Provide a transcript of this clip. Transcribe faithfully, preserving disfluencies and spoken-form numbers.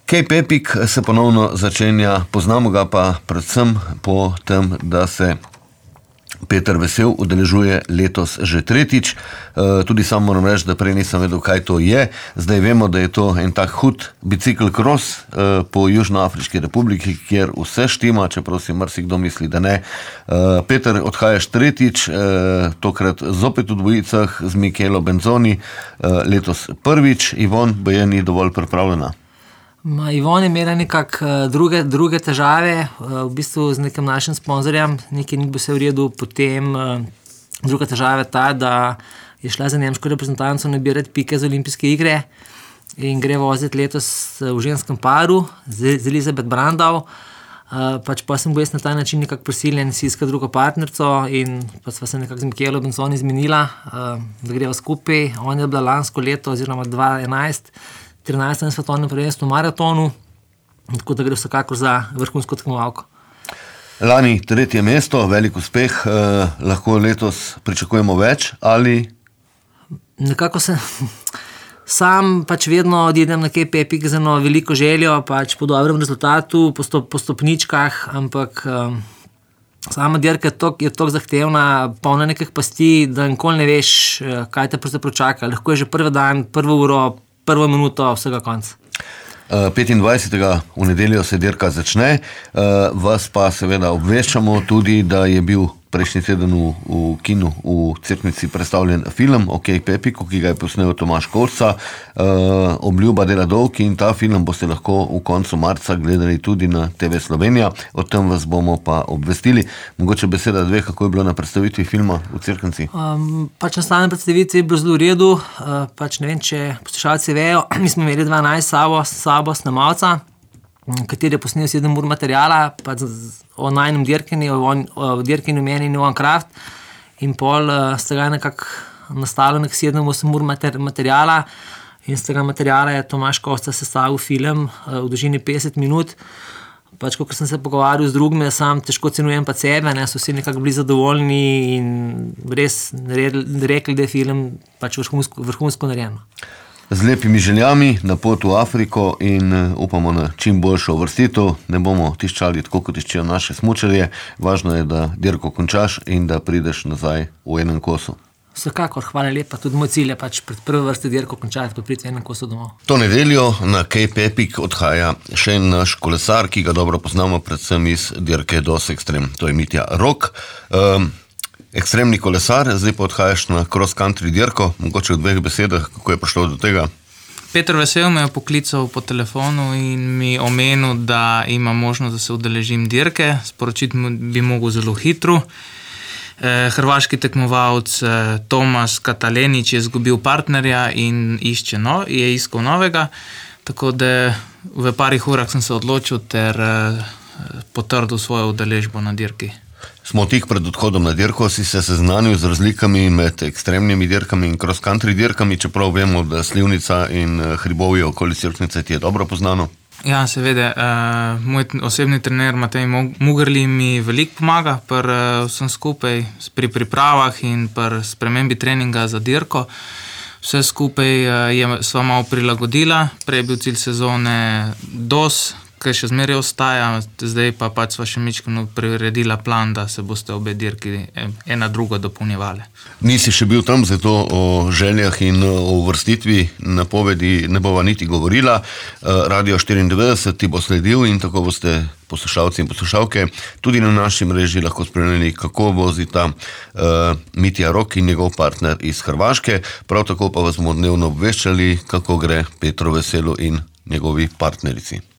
Cape Epic se ponovno začenja, poznamo ga pa predvsem po tem, da se Peter Vesel udeležuje letos že tretjič. Tudi sam moram reči, da prej nisem vedel, kaj to je. Zdaj vemo, da je to en tak hud bicikl cross po Južnoafriški republiki, kjer vse štima, čeprav si marsikdo misli, da ne. Peter, odhajaš tretjič, tokrat zopet v dvojicah z Michelo Benzoni, letos prvič. Ivon baje ni dovolj pripravljena. Ma, Ivon je imela nekako druge, druge težave, v bistvu z nekim našim sponzorjem, nekaj ni bilo vse v redu, potem druga težava je ta, da je šla za nemško reprezentanco nabirati pike za olimpijske igre in gre voziti letos v ženskem paru z Elizabeth Brandau. Pač pa sem bil jaz na ta način nekako prisiljen si iskati drugo partnerico in pa sva se nekako z Michelo Benzoni izmenila, da greva skupaj. On je bila lansko leto oziroma dva enajst trinajstem svetovnem prvenstvu v maratonu, tako da gre vsekakor za vrhunsko tekmovalko. Lani tretje mesto, velik uspeh, eh, lahko letos pričakujemo več ali? Nekako se sam pač vedno odidem na Cape Epic z eno veliko željo, pač po dobrem rezultatu, po, stop, po stopničkah, ampak um, sama dirka je toliko, je toliko zahtevna, polna nekih pasti, da nikoli ne veš, kaj te pravzaprav čaka. Lahko je že prvi dan, prvo uro, prvo minuto, vsega konca. petindvajsetega v nedeljo se dirka začne, vas pa seveda obveščamo tudi, da je bil prejšnji teden v, v kinu v Cerknici predstavljen film o Cape Epicu, ki ga je posnel Tomaž Kovca, Obljuba dela dolg, in ta film boste lahko v koncu marca gledali tudi na T V Slovenija. O tem vas bomo pa obvestili. Mogoče beseda dve, kako je bilo na predstavitvi filma v Cerknici? Um, pač na stalni predstavitvi je bilo zelo v redu, uh, pač ne vem, če poslušalci vejo, mi smo imeli dvanajst sabo, sabo snemalca, kateri je posnel sedem ur materijala, pa o najnem dirkanju, o dirkanju meni in One Craft, in pol uh, z tega nekako nastalo nek sedem osem ur mater, materijala, in z tega materijala je Tomaž Kovca sestavil film uh, v dolžini petdeset minut. Pač, ko sem se pogovarjal z drugimi, sam težko cenujem pa sebe, ne, so vsi nekako bili zadovoljni in res rekli, da je film pač vrhunsko, vrhunsko narejen. Z lepimi željami na pot v Afriko in upamo na čim boljšo uvrstitev. Ne bomo tiščali tako, kot tiščijo naše smučarje. Važno je, da dirko končaš in da prideš nazaj v enem kosu. Vsekakor, hvala lepa. Tudi moj cilj je pač pred prve vrste dirko končati, pa priti v enem kosu domov. To nedeljo na Cape Epic odhaja še en naš kolesar, ki ga dobro poznamo predvsem iz dirke Dos Extreme. To je Mitja Rok. Um, Ekstremni kolesar, zdaj pa odhajaš na cross-country dirko, mogoče v dveh besedah, kako je prišlo do tega? Peter Vesel me je poklical po telefonu in mi omenil, da ima možnost, da se udeležim dirke. Sporočiti bi mogel zelo hitro. Eh, hrvaški tekmovalec eh, Tomas Katalenić je izgubil partnerja in išče no, je iskal novega, tako da v parih urah sem se odločil ter eh, potrdil svojo udeležbo na dirki. Smo tik pred odhodom na dirko, si se seznanil z razlikami med ekstremnimi dirkami in cross-country dirkami, čeprav vemo, da Slivnica in hribovje okoli Cerknice ti je dobro poznano? Ja, seveda. Uh, moj osebni trener Matej Mugerli mi veliko pomaga pri uh, vsem skupaj, pri pripravah in pri spremembi treninga za dirko. Vse skupaj uh, je sva malo prilagodila, prej je bil cilj sezone Dos, kaj še zmeraj ostaja, zdaj pa pač sva še mičkano priredila plan, da se boste obe dirki ena drugo dopolnjevale. Nisi še bil tam, zato o željah in o uvrstitvi napovedi ne bova niti govorila. Radio štiriindevetdeset ti bo sledil in tako boste poslušalci in poslušalke tudi na naši mreži lahko spremljali, kako vozita uh, Mitja Rok in njegov partner iz Hrvaške. Prav tako pa vas bomo dnevno obveščali, kako gre Petru Veselu in njegovi partnerici.